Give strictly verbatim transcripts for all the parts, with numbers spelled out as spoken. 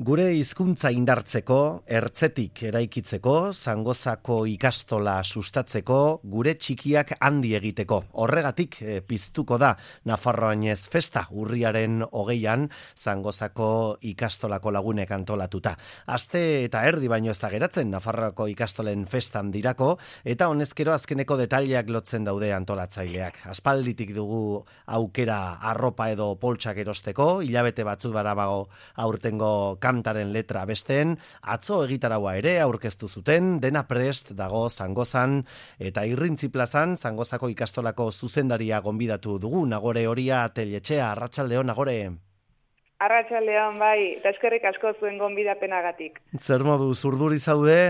Gure hizkuntza indartzeko, ertzetik eraikitzeko, Zangozako ikastola sustatzeko, gure txikiak handi egiteko. Horregatik e, piztuko da Nafarroainez festa urriaren hogeian Zangozako ikastolako lagunek antolatuta. Aste eta erdi baino ez da geratzen Nafarroako ikastolen festan dirako, eta honezkero azkeneko detaileak lotzen daude antolatzaileak. Aspalditik dugu aukera arropa edo poltsak erosteko, hilabete batzu barabago aurtengo kantaren letra besteen, atzo egitaraua ere aurkeztu zuten, dena prest dago Zangozan, eta Irrintzi plazan Zangozako ikastolako zuzendaria gonbidatu dugu, Nagore Horia Teletxea. Arratsaldeon, Nagore. Arratsaldeon, bai, eta eskerrik asko zuen gonbidapenagatik. Zer modu, urduri zaude?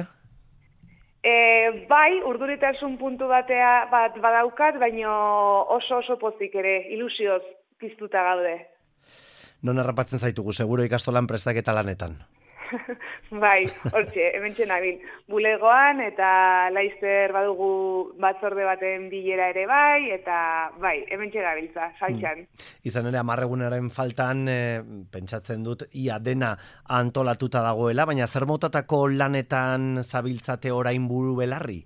E, bai, urduritasun puntu batea bat badaukat, baino oso oso pozik ere, ilusioz piztuta gaude. Non harrapatzen zaitugu, seguro ikastolan prestaketa lanetan. Bai, hortxe, hementxe nabil. Bulegoan eta laizzer badugu batzorde baten bilera ere bai, eta bai, hementxe gabiltza, saltxan. Hmm. Izan ere, amarregunaren faltan, e, pentsatzen dut, ia dena antolatuta dagoela, baina zer motatako lanetan zabiltzate orain buru belarri?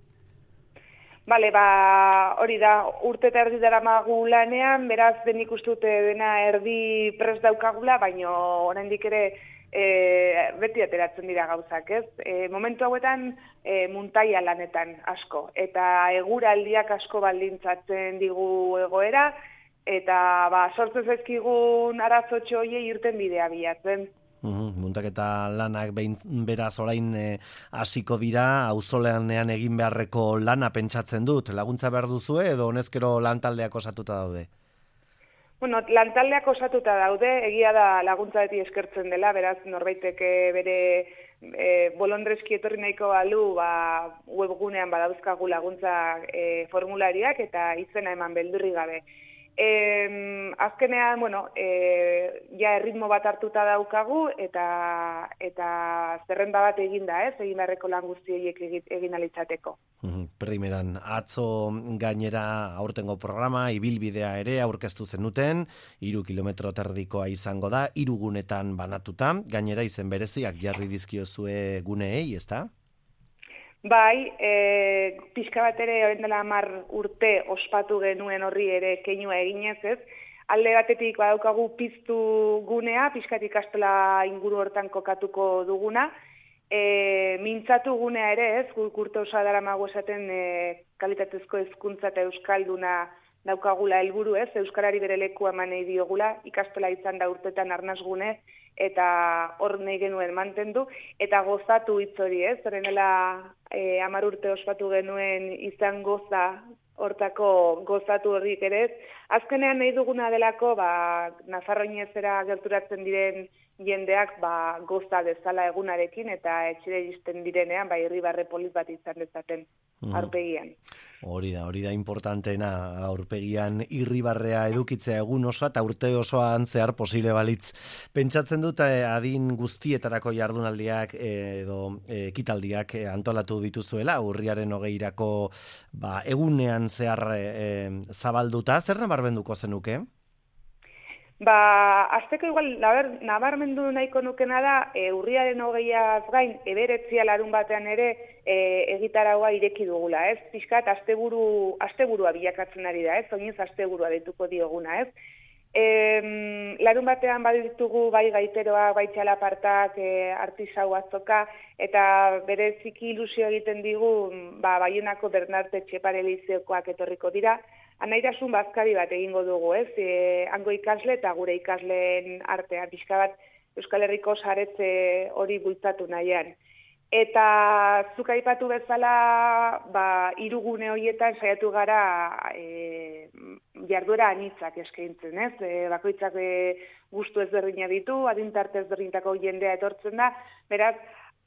Bale, ba, hori da, urte eta erdi daramagu lanean, beraz denik ustute dena erdi prest daukagula, baino oraindik ere e, beti ateratzen dira gauzak, ez? E, momentu hauetan e, muntaia lanetan asko, eta eguraldiak asko baldintzatzen digu egoera, eta ba, sortzen zaizkigun arazotxo hoiei irten bidea bilatzen. Uhum, muntaketa lanak behin beraz orain hasiko dira, auzoleanean egin beharreko lana pentsatzen dut. Laguntza behar duzue edo honezkero lantaldeak osatuta daude? Bueno, lantaldeak osatuta daude, egia da laguntza beti eskertzen dela, beraz norbaitek bere e, bolondreski etorri nahiko balu, ba, webgunean badauzkagu laguntza e, formulariak eta izena eman beldurri gabe. E, azkenean, bueno, e, ja erritmo bat hartuta daukagu eta eta zerrenda bat egin da, ez? Egin beharreko lan guztiek egin alitzateko. Primeran, atzo gainera aurtengo programa, ibilbidea ere aurkeztu zenuten, hiru kilometro terdikoa izango da, hiru gunetan banatuta, gainera izen bereziak jarri dizkiozue guneei, ezta? Bai, e, pixka bat ere orain dela hamar urte ospatu genuen horri ere keinua eginez, ez? Alde batetik badaukagu piztu gunea, pixkat ikastola inguru hortan kokatuko duguna, e, mintzatu gunea ere, ez? Guk urte osoa daramagu esaten e, kalitatezko hezkuntza eta euskalduna daukagula helburu, ez? Euskarari bere lekua eman nahi diogula, ikastola izan da urtetan arnasgune, eta hor nahi genuen mantendu, eta gozatu hitz hori, ez? Horrenela e, hamar urte ospatu genuen izan goza, hortako gozatu horrik ere ez. Azkenean nahi duguna delako, ba, Nafarroinezera gerturatzen diren jendeak ba, goza dezala egunarekin, eta etxera iristen direnean, ba, irribarre polit bat izan dezaten aurpegian. Hori da, hori da importanteena aurpegian irribarrea edukitzea egun osoa eta urte osoan zehar posible balitz. Pentsatzen dut adin guztietarako jardunaldiak edo ekitaldiak antolatu dituzuela, urriaren hogeirako ba, egunean zehar e, zabalduta, zer nabarmenduko zenuke? Ba, azteko igual, nabar, nabarmendu nahiko nukena da, e, urriaren hogeiaz gain, eberetzia larun batean ere, e, egitaragoa ireki dugula, ez? Piskat, asteburu, asteburua bilakatzen ari da, ez? Oinez asteburua dituko dioguna, ez? E, larun batean baditugu bai gaiteroak, bai txalapartak, e, artisau azoka, eta bereziki ilusio egiten digu, ba, Baionako Bernarte Txepare Lizeokoak etorriko dira, anairasun bazkari bat egingo dugu, ez? E, hango ikasle eta gure ikasleen artean, pixka bat Euskal Herriko saretze hori bultzatu nahian. Eta zuk aipatu bezala, ba, hirugune horietan saiatu gara e, jarduera anitzak eskaintzen, ez? E, bakoitzak e, gustu ezberdina ditu, adintarte ezberdintako jendea etortzen da, beraz,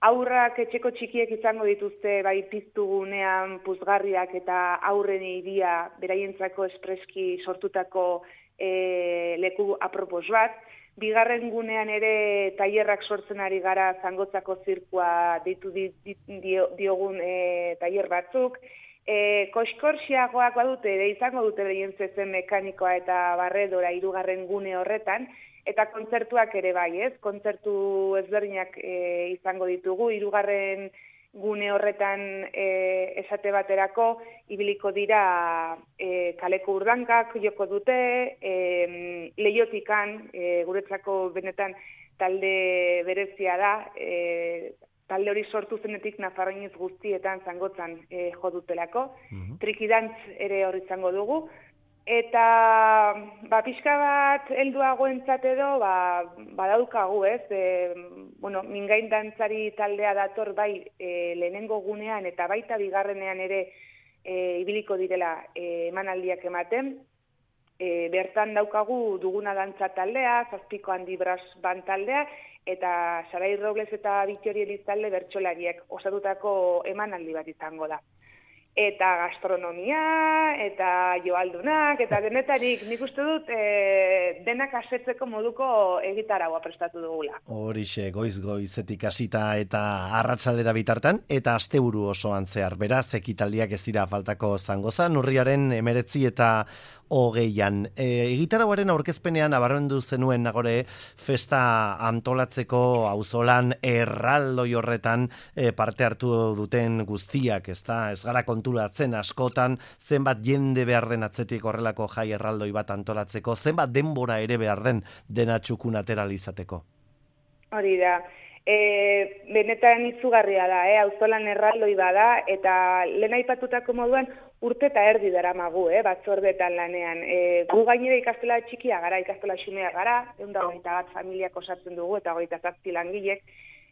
aurrak etxeko txikiek izango dituzte bai piztugunean puzgarriak eta aurren iria beraientzako espreski sortutako e, leku apropos bat. Bigarren gunean ere tailerrak sortzen ari gara Zangotzako zirkua deitu di, di, dio, diogun e, tailer batzuk. E, Koskorxiagoak badute, ere izango dute behien zezen mekanikoa eta barredora hirugarren gune horretan, eta kontzertuak ere bai, ez? Kontzertu ezberdinak e, izango ditugu, hirugarren gune horretan e, esate baterako, ibiliko dira e, kaleko urdankak joko dute, e, Leiotikan, e, guretzako benetan talde berezia da, e, talde hori sortu zenetik Nafarroinez guztietan zangotzan e, jo dutelako, uh-huh. Trikidantz ere hori izango dugu, eta ba, pixka bat helduagoentzat edo ba, badaukagu, ez? E, bueno, mingain dantzari taldea dator bai e, lehenengo gunean eta baita bigarrenean ere e, ibiliko direla e, emanaldiak ematen. E, bertan daukagu duguna dantza taldea, zazpiko handi bras ban taldea, eta Sarai Robles eta Bittori Elizalde bertsolariek osatutako emanaldi bat izango da. Eta gastronomia, eta joaldunak, eta denetarik, nik uste dut e, denak asetzeko moduko egitaragoa prestatu dugula. Horixe, goiz-goizetik hasita eta arratsaldera bitartan, eta asteburu osoan zehar, beraz, ekitaldiak ez dira faltako Zangozan, urriaren emeretzi eta hogeian. E, Egitaragoaren aurkezpenean abarrendu zenuen nagore festa antolatzeko auzolan erraldoi horretan e, parte hartu duten guztiak, ez da? Ez gara konturatzen askotan zenbat jende behar den atzetik horrelako jai erraldoi bat antolatzeko, zenbat denbora ere behar den dena txukun ateralizateko. Hori da. E, benetan izugarria da, eh? Auzolan erraldoi bada, eta lehen aipatutako moduan urte eta erdi daramagu, eh? Batzordetan lanean. E, gu gainera ikastola txikia gara, ikastola xumea gara, ehun eta hogeita bat familiak osatzen dugu, eta hogeita zazpi langilek,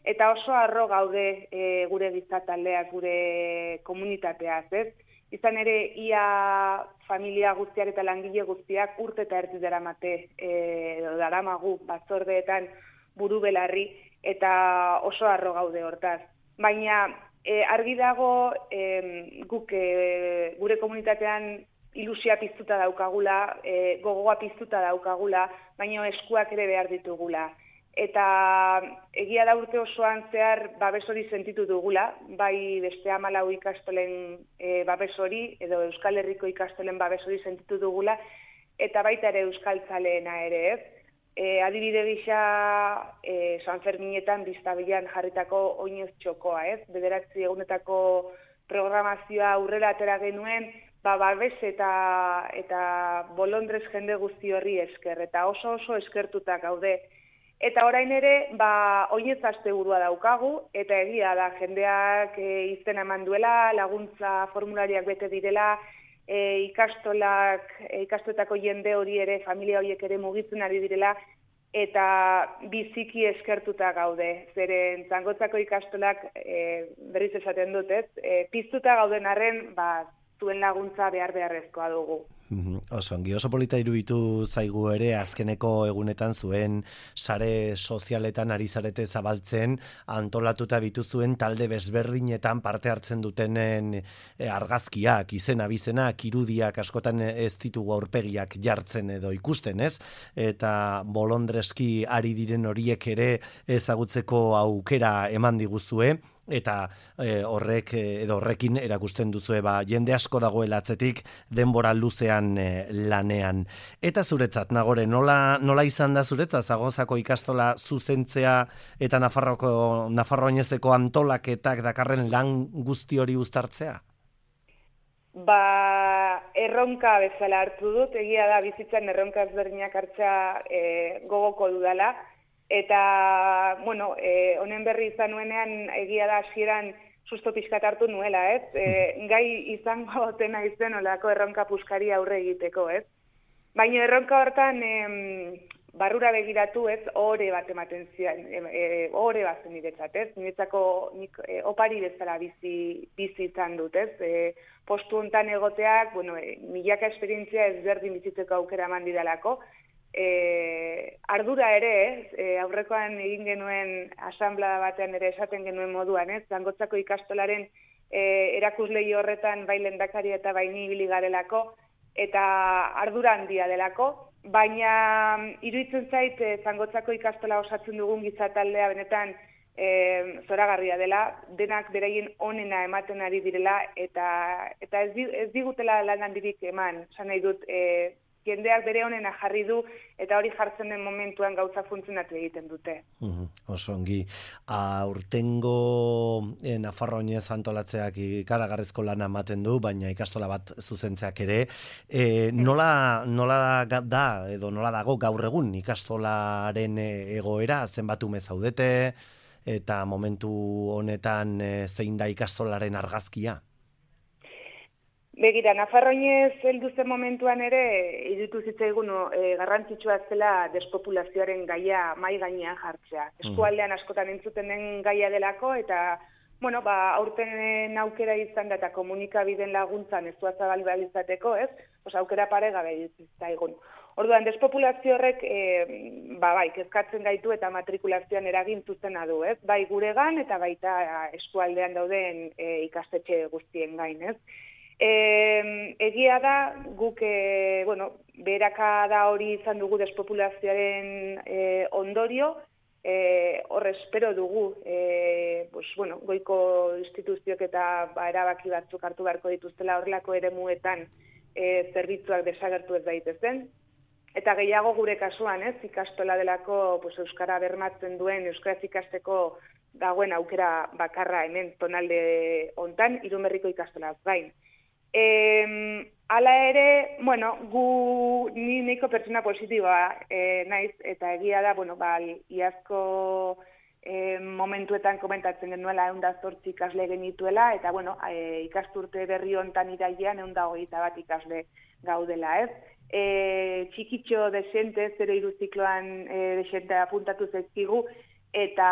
eta oso harro gaude e, gure gizataldeak, gure komunitateaz, ez? Izan ere, ia familia guztiak eta langile guztiak urte eta erdi daramate, e, daramagu batzordeetan buru belarri, eta oso harro gaude hortaz. Baina e, argi dago e, guk e, gure komunitatean ilusia piztuta daukagula, e, gogoa piztuta daukagula, baina eskuak ere behar ditugula. Eta egia da urte osoan zehar babes hori sentitu dugula, bai beste hamalau ikastolen e, babes hori, edo Euskal Herriko ikastolen babes hori sentitu dugula, eta baita ere euskaltzaleena ere, ez? E, adibide gisa e, San Ferminetan biztabilan jarritako oinez txokoa, ez? Bederatzi egunetako programazioa aurrera atera genuen, ba, babes eta, eta bolondrez jende guzti horri esker, eta oso oso eskertuta gaude. Eta orain ere, ba, oinez asteburua daukagu, eta egia da, jendeak e, izena eman duela, laguntza formulariak bete direla, E, ikastolak, e, ikastoetako jende hori ere, familia horiek ere mugitzen ari direla, eta biziki eskertuta gaude. Zeren Zangotzako ikastolak, e, berriz esaten dut, ez? E, piztuta gauden arren, ba, zuen laguntza behar beharrezkoa dugu. Oso, ongi oso polita iruditu zaigu ere azkeneko egunetan zuen sare sozialetan ari zarete zabaltzen antolatuta bituzuen talde bezberdinetan parte hartzen dutenen argazkiak, izen abizenak, irudiak askotan ez ditugu aurpegiak jartzen edo ikusten, ez? Eta bolondreski ari diren horiek ere ezagutzeko aukera eman diguzue. Eta e, horrek edo horrekin erakusten duzue ba, jende asko dagoela atzetik denbora luzean e, lanean. Eta zuretzat, Nagore, nola, nola izan da zuretzat Zagozako ikastola zuzentzea eta Nafarroko, Nafarroinezeko antolaketak dakarren lan guzti hori uztartzea? Ba, erronka bezala hartu dut, egia da bizitzan erronka ezberdinak hartzea e, gogoko dudala. Eta, bueno, e, honen berri izan nuenean, egia da hasieran susto pixkat hartu nuela, ez? E, gai izango tena izen olako erronka puskari aurre egiteko, ez? Baina erronka hortan em, barrura begiratu, ez? Ohore bat ematen zian, e, ohore bat zen niretzat, ez? Niretzako nik e, opari bezala bizi, bizi izan dut, ez? E, postu hontan egoteak, bueno, e, milaka esperientzia ezberdin bizitzeko aukera eman didalako, E, ardura ere, ez, e, aurrekoan egin genuen asanblada batean ere esaten genuen moduan, ez, Zangotzako ikastolaren e, erakuslei horretan bai lehendakari eta bai ni ibili garelako, eta ardura handia delako, baina iruditzen zait e, Zangotzako ikastola osatzen dugun gizataldea benetan e, zoragarria dela, denak beraien onena ematen ari direla, eta, eta ez, ez digutela lan handirik eman, esan nahi dut, e, jendeak bere honena jarri du, eta hori jartzen den momentuan gauza funtzionatu egiten dute. Uhum, oso ongi, aurtengo eh, Nafarroa oinez antolatzeak ikaragarrizko lana ematen du, baina ikastola bat zuzentzeak ere, e, nola, nola da, edo nola dago gaur egun ikastolaren egoera, zenbat ume zaudete, eta momentu honetan e, zein da ikastolaren argazkia? Begira, Nafarroinez heldu zen momentuan ere, iruditu zitzaigun e, garrantzitsua zela despopulazioaren gaia mai gainean jartzea. Eskualdean askotan entzuten den gaia delako, eta bueno, ba, aurten aukera izan da eta komunikabideen laguntzan ez duaz zabalizateko, ez? Pues aukera pare gabe zaigun. Orduan, despopulazio horrek e, ba, bai, kezkatzen gaitu eta matrikulazioan eragin zuzena du, ez? Bai guregan eta baita eskualdean dauden e, ikastetxe guztien gain, ez? E, egia da, guk, e, bueno, beherakada hori izan dugu despopulazioaren e, ondorio, e, hor espero dugu, e, pues, bueno, goiko instituzioak eta ba, erabaki batzuk hartu beharko dituztela horrelako eremuetan e, zerbitzuak desagertu ez daitezen. Eta gehiago gure kasuan, ez, ikastola delako pues, euskara bermatzen duen, euskaraz ikasteko dagoen aukera bakarra hemen tonalde hontan, Irunberriko ikastolaz gain. E, ala ere, bueno, gu ni nahiko pertsona positiboa e, naiz, eta egia da, bueno, ba, iazko e, momentuetan komentatzen genuela ehun eta zortzi ikasle genituela, eta, bueno, e, ikasturte berri hontan irailean ehun eta hogeita bat ikasle gaudela, ez? E, txikitxo desente, zero hiru zikloan e, desente apuntatu zaizkigu, eta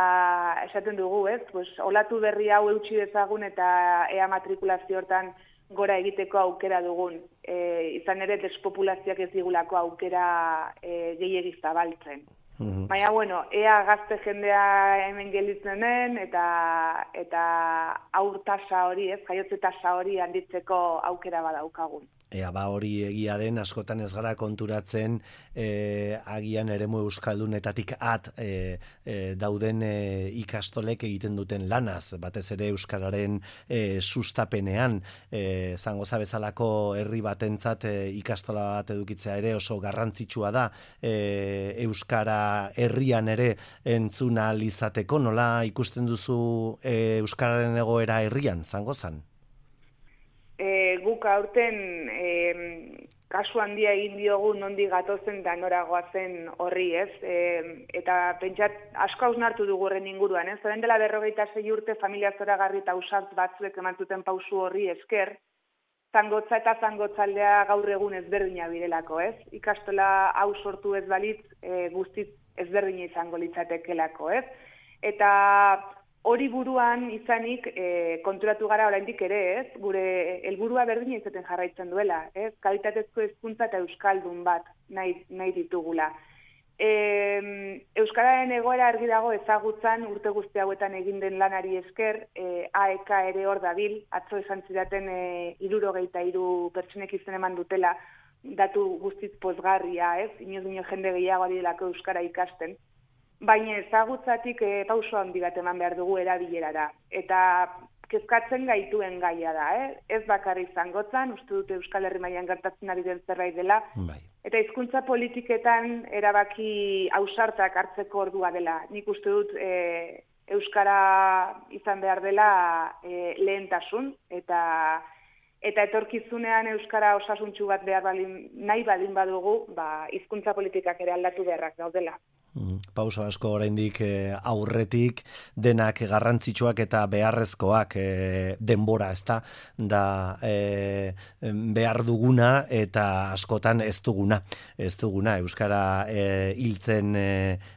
esaten dugu, ez? Pues, olatu berri hau eutsi dezagun eta ea matrikulazio hortan gora egiteko aukera dugun. E, izan ere, despopulazioak ez digulako aukera e, gehiegi zabaltzen. Mm-hmm. Baina, bueno, ea gazte jendea hemen gelditzen den, eta, eta aur tasa hori, ez, jaiotze tasa hori handitzeko aukera badaukagun. Ea, ba hori egia den, askotan ez gara konturatzen e, agian eremu euskaldunetatik at e, e, dauden e, ikastolek egiten duten lanaz, batez ere euskararen e, sustapenean, e, zangoza bezalako herri batentzat e, ikastola bat edukitzea ere oso garrantzitsua da, e, euskara herrian ere entzuna izateko, nola ikusten duzu e, euskararen egoera herrian, zangozan? E, guk aurten e, kasu handia egin diogu nondi gatozen da noragoa zen horri, ez? E, eta pentsat asko hausnartu dugu horren inguruan, ez? Zeren dela berrogeita sei urte familia zoragarri eta ausart batzuek eman zuten pausu horri esker, zangotza eta zangotzaldea gaur egun ezberdina birelako, ez? Ikastola hau sortu ez balitz, e, guztiz ezberdina izango litzatekelako, ez? Eta hori buruan izanik e, konturatu gara oraindik ere, ez? Gure helburua berdina izaten jarraitzen duela, ez? Kalitatezko hezkuntza eta euskaldun bat nahi, nahi ditugula. E, Euskararen egoera argi dago ezagutzan urte guzti hauetan egin den lanari esker, e, A E K ere hor dabil, atzo esan zidaten e, hirurogeita hiru pertsonek izen eman dutela, datu guztiz pozgarria, ez? Inoz dino jende gehiago ari delako euskara ikasten. Baina ezagutzatik e, pauso handi bat eman behar dugu erabilerara. Eta kezkatzen gaituen gaia da, eh? Ez bakarrik zangotzan, uste dute Euskal Herri mailan gertatzen ari den zerbait dela. Bai. Eta hizkuntza politiketan erabaki ausartak hartzeko ordua dela. Nik uste dut e, Euskara izan behar dela e, lehentasun, eta eta etorkizunean Euskara osasuntsu bat behar balin, nahi balin badugu, ba, hizkuntza politikak ere aldatu beharrak daudela. Mm, pauso asko oraindik e, aurretik denak garrantzitsuak eta beharrezkoak e, denbora, ezta da e, behar duguna eta askotan ez duguna ez duguna euskara e, hiltzen e,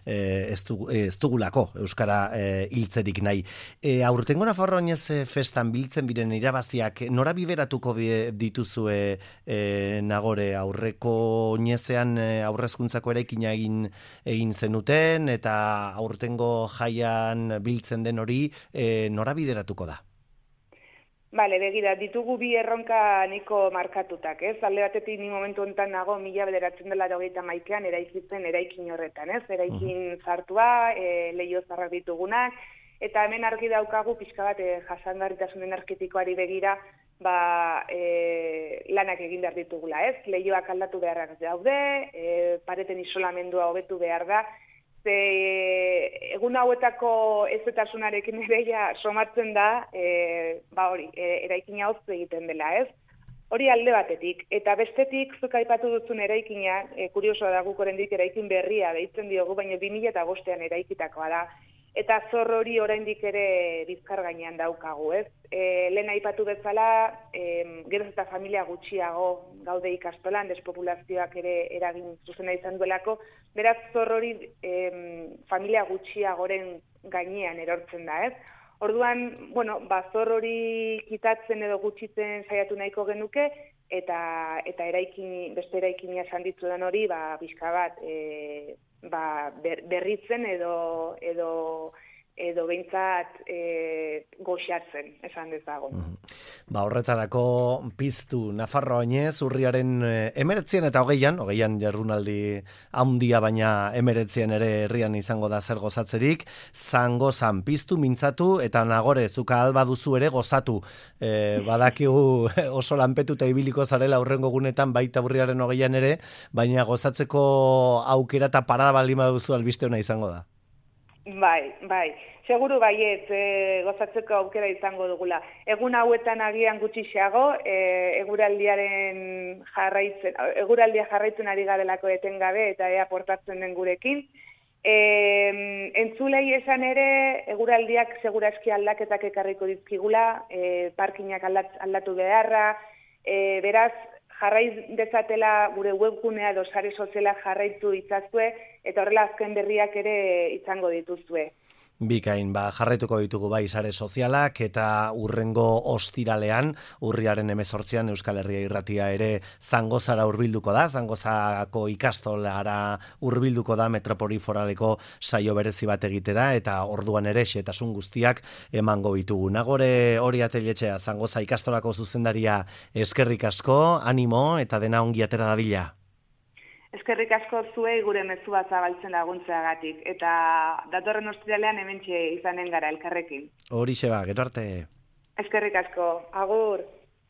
ez, du, ez dugulako euskara e, hiltzerik nahi. E, aurtengo Nafarroa oinez festan biltzen biren irabaziak nora biberatuko dituzue e, Nagore, aurreko oinezean e, aurrezkuntzako eraikina egin egin zen zenuten eta aurtengo jaian biltzen den hori e, nora bideratuko da? Bale, begira, ditugu bi erronka niko markatutak, ez? Alde batetik ni momentu honetan nago mila bederatzen dela hogeita hamaikaan eraikitzen eraikin horretan, ez? Eraikin zartua, e, leio zarrak ditugunak, eta hemen argi daukagu pixka bat e, jasangarritasun energetikoari begira ba, e, lanak egin behar ditugula, ez? Lehioak aldatu beharrak daude, e, pareten isolamendua hobetu behar da, ze egun hauetako ezetasunarekin ere ja somatzen da, e, ba hori, e, eraikina hotz egiten dela, ez? Hori alde batetik, eta bestetik zuk aipatu duzun eraikina, e, kuriosoa da guk oraindik eraikin berria deitzen diogu, baina bi mila bostean eraikitakoa da. Eta zor hori oraindik ere bizkar gainean daukagu, ez? E, lehen aipatu bezala, e, geroz eta familia gutxiago gaude ikastolan, despopulazioak ere eragin zuzena izan duelako, beraz zor hori e, familia gutxiagoren gainean erortzen da, ez? Orduan, bueno, ba, zor hori kitatzen edo gutxitzen saiatu nahiko genuke, eta eta eraikin, beste eraikina esan ditzudan hori, ba, bizka bat, e, ba, ber, berritzen edo edo edo behintzat e, goxatzen, esan dezagun. Ba, horretarako piztu Nafarroa oinez, urriaren emeretzian eta hogeian, hogeian jardunaldi handia baina emeretzian ere herrian izango da zer gozatzerik, zangozan piztu, mintzatu, eta nagore, zuka alba duzu ere gozatu. E, badakigu oso lanpetuta ibiliko zarela aurrengo gunetan, baita urriaren hogeian ere, baina gozatzeko aukera eta parada baldin baduzu albiste ona izango da. Bai, bai. Seguru baiet e, gozatzeko aukera izango dugula. Egun hauetan agian gutxixeago, e, eguraldiaren jarraitzen, eguraldia jarraitzen ari garelako etengabe eta ea portatzen den gurekin. E, entzulei esan ere, eguraldiak segurazki aldaketak ekarriko dizkigula, e, parkinak aldatu beharra, e, beraz, jarraiz dezatela gure webgunea edo sare sozialak jarraitu itzazue, eta horrela azken berriak ere izango dituzue. Bikain, ba, jarraituko ditugu bai sare sozialak eta urrengo ostiralean, urriaren hemezortzian Euskal Herria Irratia ere Zangozara hurbilduko da, Zangozako ikastolara hurbilduko da Metropoli Foraleko saio berezi bat egitera, eta orduan ere xetasun guztiak emango ditugu. Nagore hori ateletxea, Zangoza ikastolako zuzendaria, eskerrik asko, animo eta dena ongi atera dabila. Eskerrik asko zuei gure mezua zabaltzen laguntzeagatik, eta datorren ostiralean hementxe izanen gara elkarrekin. Horixe ba, gero arte. Eskerrik asko, agur.